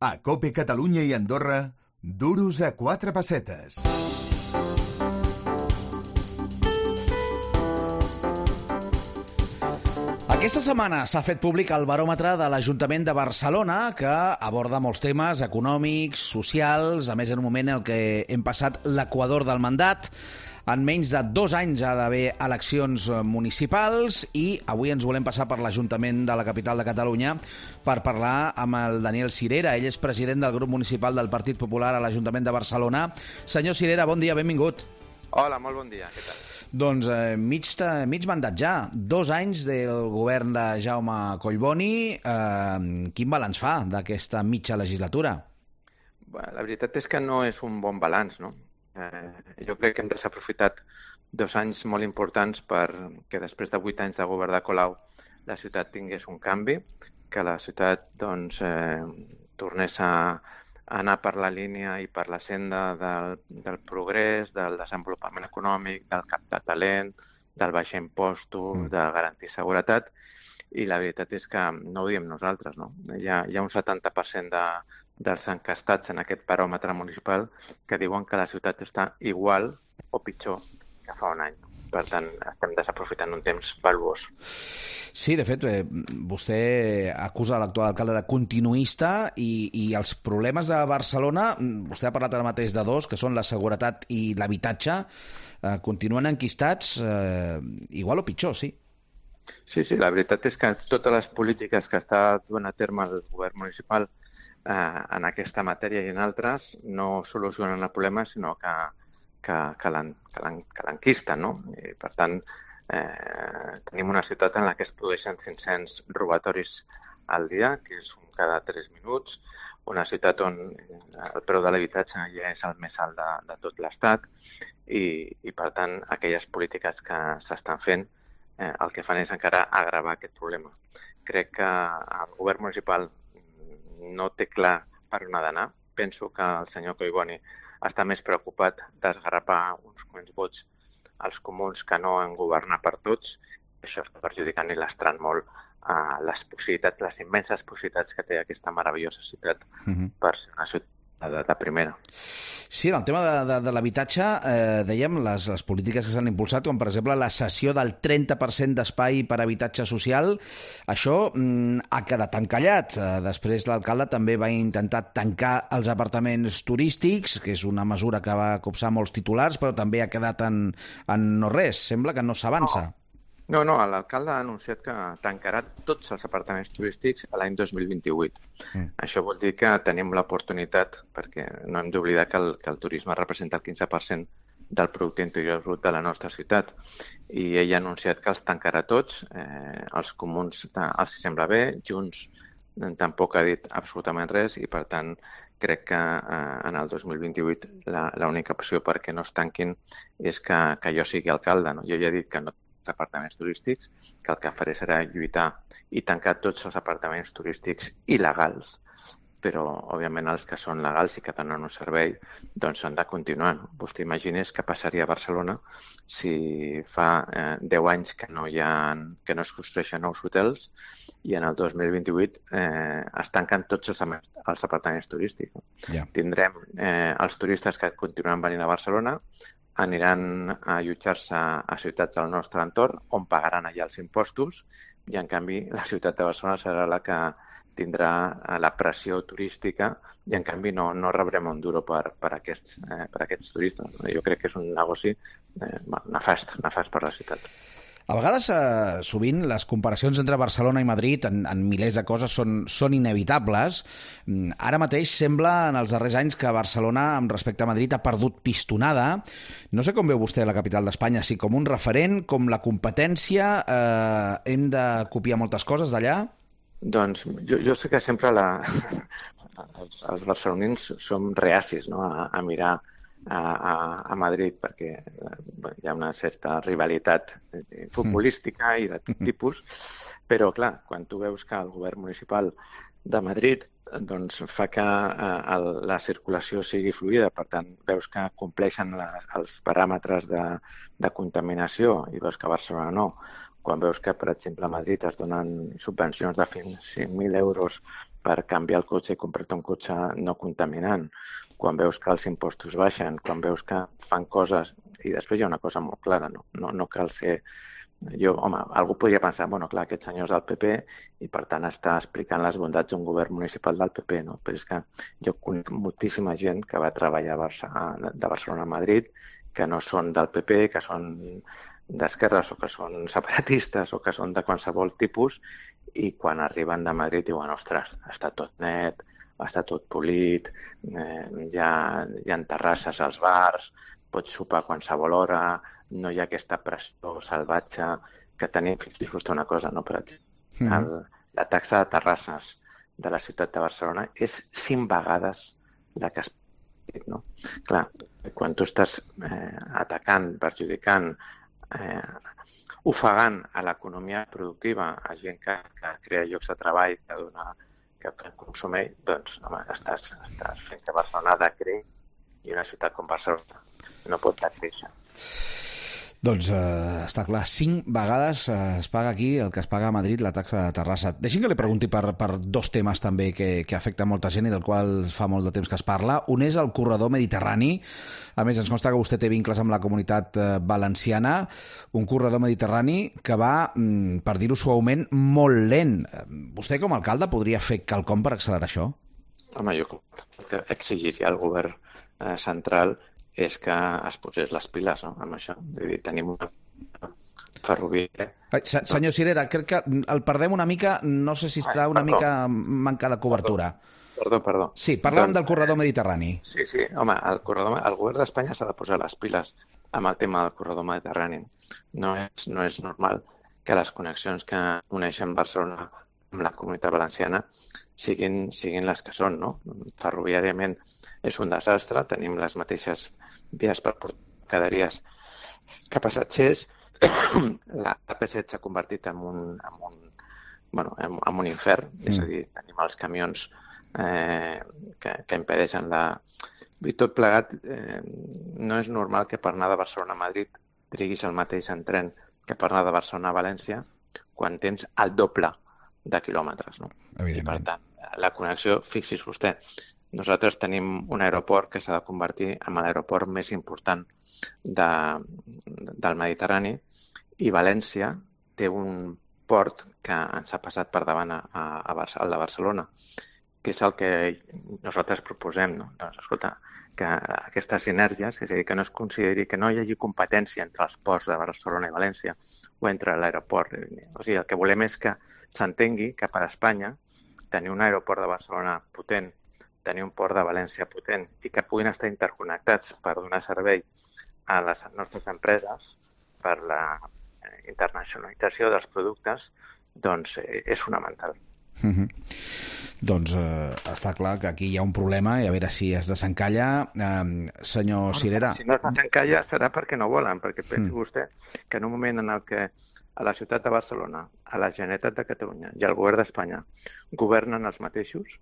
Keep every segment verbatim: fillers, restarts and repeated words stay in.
A COPE Catalunya i Andorra, duros a quatre pessetes. Aquesta setmana s'ha fet públic el baròmetre de l'Ajuntament de Barcelona, que aborda molts temes econòmics, socials, a més en un moment en què hem passat l'equador del mandat. En menys de dos anys ha d'haver eleccions municipals i avui ens volem passar per l'Ajuntament de la capital de Catalunya per parlar amb el Daniel Sirera. Ell és president del grup municipal del Partit Popular a l'Ajuntament de Barcelona. Senyor Sirera, bon dia, benvingut. Hola, molt bon dia, què tal? Doncs eh, mig, mig mandat ja, dos anys del govern de Jaume Collboni. Eh, quin balanç fa d'aquesta mitja legislatura? Bé, la veritat és que no és un bon balanç, no? Eh, jo crec que hem desaprofitat dos anys molt importants perquè després de vuit anys de govern de Colau la ciutat tingués un canvi, que la ciutat doncs, eh, tornés a anar per la línia i per la senda del, del progrés, del desenvolupament econòmic, del captar talent, del baixar impostos, mm. de garantir seguretat, i la veritat és que no ho diem nosaltres, no? Hi ha, hi ha un setanta per cent de, dels encastats en aquest baròmetre municipal que diuen que la ciutat està igual o pitjor que fa un any. Per tant, estem desaprofitant un temps valuós. Sí, de fet, eh, vostè acusa l'actual alcalde de continuista i, i els problemes de Barcelona, vostè ha parlat ara mateix de dos, que són la seguretat i l'habitatge, eh, continuen enquistats eh, igual o pitjor, sí? Sí, sí, la veritat és que totes les polítiques que està duent a terme el govern municipal eh, en aquesta matèria i en altres no solucionen el problema, sinó que, que, que l'enquisten, no? I, per tant, eh, tenim una ciutat en la que es produeixen cinc-cents robatoris al dia, que és un cada tres minuts, una ciutat on el preu de l'habitatge ja és el més alt de, de tot l'Estat i, i, per tant, aquelles polítiques que s'estan fent Eh, el que fan és encara agravar aquest problema. Crec que el govern municipal no té clar per on ha d'anar. Penso que el senyor Collboni està més preocupat d'esgarrapar uns quants vots als comuns que no en governar per tots. Això està perjudicant i lastrant molt eh, les possibilitats, les immenses possibilitats que té aquesta meravellosa ciutat uh-huh. per ser una ciutat de, de primera. Sí, en el tema de, de, de l'habitatge, eh, dèiem les, les polítiques que s'han impulsat, com per exemple la cessió del trenta per cent d'espai per habitatge social, això mm, ha quedat encallat. Eh, després l'alcalde també va intentar tancar els apartaments turístics, que és una mesura que va copsar molts titulars, però també ha quedat en, en no res. Sembla que no s'avança. No. No, no, l'alcalde ha anunciat que tancarà tots els apartaments turístics a l'any dos mil vint-i-vuit. Mm. Això vol dir que tenim l'oportunitat, perquè no hem d'oblidar que, el, que el turisme representa el quinze per cent del producte interior brut de la nostra ciutat. I ell ha anunciat que els tancarà tots, eh, els comuns els sembla bé, Junts tampoc ha dit absolutament res i, per tant, crec que eh, en el dos mil vint-i-vuit l'única opció perquè no es tanquin és que, que jo sigui alcalde. No? Jo ja he dit que no apartaments turístics, que el que faré serà lluitar i tancar tots els apartaments turístics il·legals, però, òbviament, els que són legals i que donen un servei, doncs han de continuar. Vostè imagines què passaria a Barcelona si fa eh, deu anys que no, hi ha, que no es construeixen nous hotels i en el dos mil vint-i-vuit eh, es tanquen tots els, els apartaments turístics. Yeah. Tindrem eh, els turistes que continuaran venint a Barcelona, aniran a allotjar-se a ciutats del nostre entorn on pagaran allà els impostos i, en canvi, la ciutat de Barcelona serà la que tindrà la pressió turística i, en canvi, no, no rebrem un duro per, per, aquests, eh, per aquests turistes. Jo crec que és un negoci eh, nefast, nefast per la ciutat. A vegades, eh, sovint, les comparacions entre Barcelona i Madrid en, en milers de coses són, són inevitables. Ara mateix sembla, en els darrers anys, que Barcelona, amb respecte a Madrid, ha perdut pistonada. No sé com veu vostè la capital d'Espanya, si com un referent, com la competència, eh, hem de copiar moltes coses d'allà? Doncs jo, jo sé que sempre la, els, els barcelonins som reacis, no?, a, a mirar A, a, a Madrid perquè bé, hi ha una certa rivalitat futbolística i de tot tipus, però clar, quan tu veus que el govern municipal de Madrid doncs, fa que eh, el, la circulació sigui fluida, per tant veus que compleixen les, els paràmetres de, de contaminació i veus que a Barcelona no, quan veus que, per exemple, a Madrid es donen subvencions de fins cinc mil euros per canviar el cotxe i comprar-te un cotxe no contaminant, quan veus que els impostos baixen, quan veus que fan coses... I després hi ha una cosa molt clara, no, no, no cal ser... Jo, home, algú podria pensar, bueno, clar, aquest senyor és del P P i per tant està explicant les bondats d'un govern municipal del P P, no? Però és que jo conec moltíssima gent que va treballar a Barcelona, de Barcelona a Madrid, que no són del P P, que són d'esquerres o que són separatistes o que són de qualsevol tipus i quan arriben de Madrid diuen, ostres, està tot net, està tot polit, eh, hi, ha, hi ha terrasses als bars, pots sopar a qualsevol hora, no hi ha aquesta pressió salvatge que tenim. Fixeu-vos una cosa, no? Per exemple, mm. el, la taxa de terrasses de la ciutat de Barcelona és cinc vegades la que es pot, no? Clar, quan tu estàs eh, atacant, perjudicant, eh, ofegant a l'economia productiva, a gent que, que crea llocs de treball, que dona, que, que consumeix, doncs home, estàs, estàs fent que Barcelona ha de créixer i una ciutat com Barcelona no pot créixer. Doncs eh, està clar, cinc vegades eh, es paga aquí el que es paga a Madrid la taxa de terrassa. Deixi'm que li pregunti per, per dos temes també que, que afecten molta gent i del qual fa molt de temps que es parla. Un és el corredor mediterrani. A més, ens consta que vostè té vincles amb la comunitat eh, valenciana. Un corredor mediterrani que va, mm, per dir-ho suaument, molt lent. Vostè com a alcalde podria fer quelcom per accelerar això? Home, jo exigiria al govern eh, central és que es posés les piles, no?, amb això. Vull dir, tenim una ferroviària... Se, senyor Cirera, crec que el perdem una mica, no sé si està una Ai, mica manca de cobertura. Perdó, perdó. Sí, parlàvem doncs, del corredor mediterrani. Sí, sí, home, el, corredor, el govern d'Espanya s'ha de posar les piles amb el tema del corredor mediterrani. No és, no és normal que les connexions que uneixen Barcelona amb la comunitat valenciana siguin, siguin les que són, no? Ferroviàriament és un desastre, tenim les mateixes vies per portar mercaderies que passatgers. La P set s'ha convertit en un, en un, bueno, en, en un infern, mm. és a dir, tenim els camions eh, que, que impedeixen la... I tot plegat, eh, no és normal que per anar de Barcelona a Madrid triguis el mateix en tren que per anar de Barcelona a València quan tens el doble de quilòmetres, no? I per tant, la connexió, fixi's vostè, nosaltres tenim un aeroport que s'ha de convertir en l'aeroport més important de, del Mediterrani i València té un port que ens ha passat per davant a, a, a al de Barcelona, que és el que nosaltres proposem, no? Doncs, escolta, que aquestes sinergies, és a dir, que no es consideri que no hi hagi competència entre els ports de Barcelona i València o entre l'aeroport. O sigui, el que volem és que s'entengui que per Espanya tenir un aeroport de Barcelona potent, tenir un port de València potent i que puguin estar interconnectats per donar servei a les nostres empreses per la internacionalització dels productes, doncs eh, és fonamental. Mm-hmm. Doncs eh, està clar que aquí hi ha un problema i a veure si es desencalla. Eh, senyor Cirera... Si no es desencalla serà perquè no volen, perquè pensi mm. vostè que en un moment en el que a la ciutat de Barcelona, a la Generalitat de Catalunya i al govern d'Espanya governen els mateixos,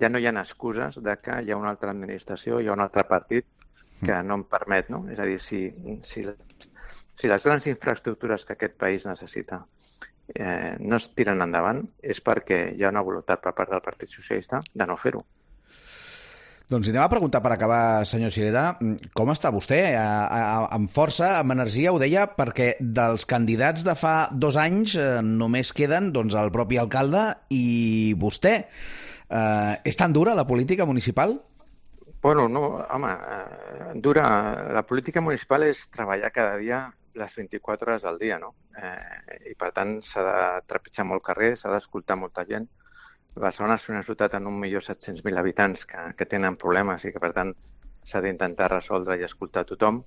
ja no hi ha excuses de que hi ha una altra administració, hi ha un altre partit que no em permet, no? És a dir, si, si, si les grans infraestructures que aquest país necessita eh, no es tiren endavant, és perquè hi ha una voluntat per part del Partit Socialista de no fer-ho. Doncs anem a preguntar per acabar, senyor Cirera, com està vostè? A, a, amb força, amb energia, ho deia, perquè dels candidats de fa dos anys eh, només queden doncs, el propi alcalde i vostè. Eh, és tan dura la política municipal? Bueno, no, home, eh, dura. La política municipal és treballar cada dia les vint-i-quatre hores al dia, no? Eh, I per tant s'ha de trepitjar molt carrer, s'ha d'escoltar molta gent. Barcelona és una ciutat amb un milió set-cents mil habitants que, que tenen problemes i que, per tant, s'ha d'intentar resoldre i escoltar tothom,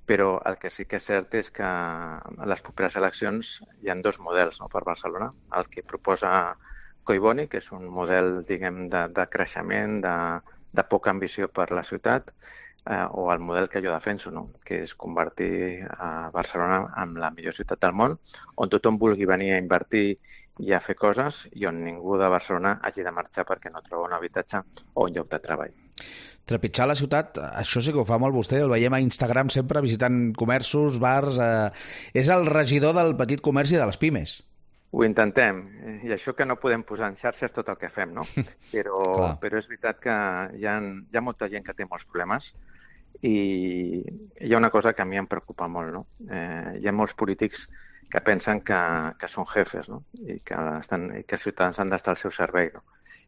però el que sí que és cert és que a les properes eleccions hi ha dos models, no, per Barcelona. El que proposa Collboni, que és un model, diguem, de, de creixement, de, de poca ambició per la ciutat, eh, o el model que jo defenso, no? Que és convertir a Barcelona en la millor ciutat del món, on tothom vulgui venir a invertir i a fer coses i on ningú de Barcelona hagi de marxar perquè no troba un habitatge o un lloc de treball. Trepitjar la ciutat, això sí que ho fa molt vostè, el veiem a Instagram sempre visitant comerços, bars... Eh... És el regidor del petit comerç i de les pimes. Ho intentem, i això que no podem posar en xarxes tot el que fem, no? Però, però és veritat que hi ha, hi ha molta gent que té molts problemes i hi ha una cosa que a mi em preocupa molt, no? Eh, hi ha molts polítics que pensen que, que són jefes, no? I que, estan, i que els ciutadans han d'estar al seu servei, no?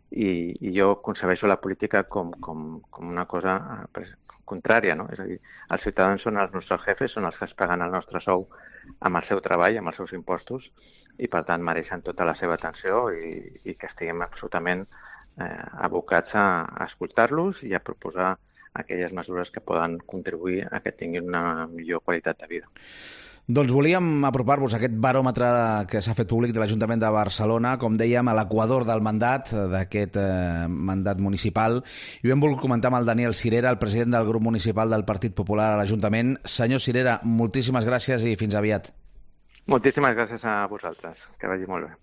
I, i jo concebeixo la política com, com, com una cosa contrària, no? És a dir, els ciutadans són els nostres jefes, són els que es paguen el nostre sou amb el seu treball, amb els seus impostos, i per tant mereixen tota la seva atenció i, i que estiguem absolutament eh, abocats a, a escoltar-los i a proposar aquelles mesures que poden contribuir a que tinguin una millor qualitat de vida. Doncs volíem apropar-vos a aquest baròmetre que s'ha fet públic de l'Ajuntament de Barcelona, com dèiem, a l'equador del mandat, d'aquest eh, mandat municipal, i ho hem volgut comentar amb el Daniel Cirera, el president del grup municipal del Partit Popular a l'Ajuntament. Senyor Cirera, moltíssimes gràcies i fins aviat. Moltíssimes gràcies a vosaltres. Que vagi molt bé.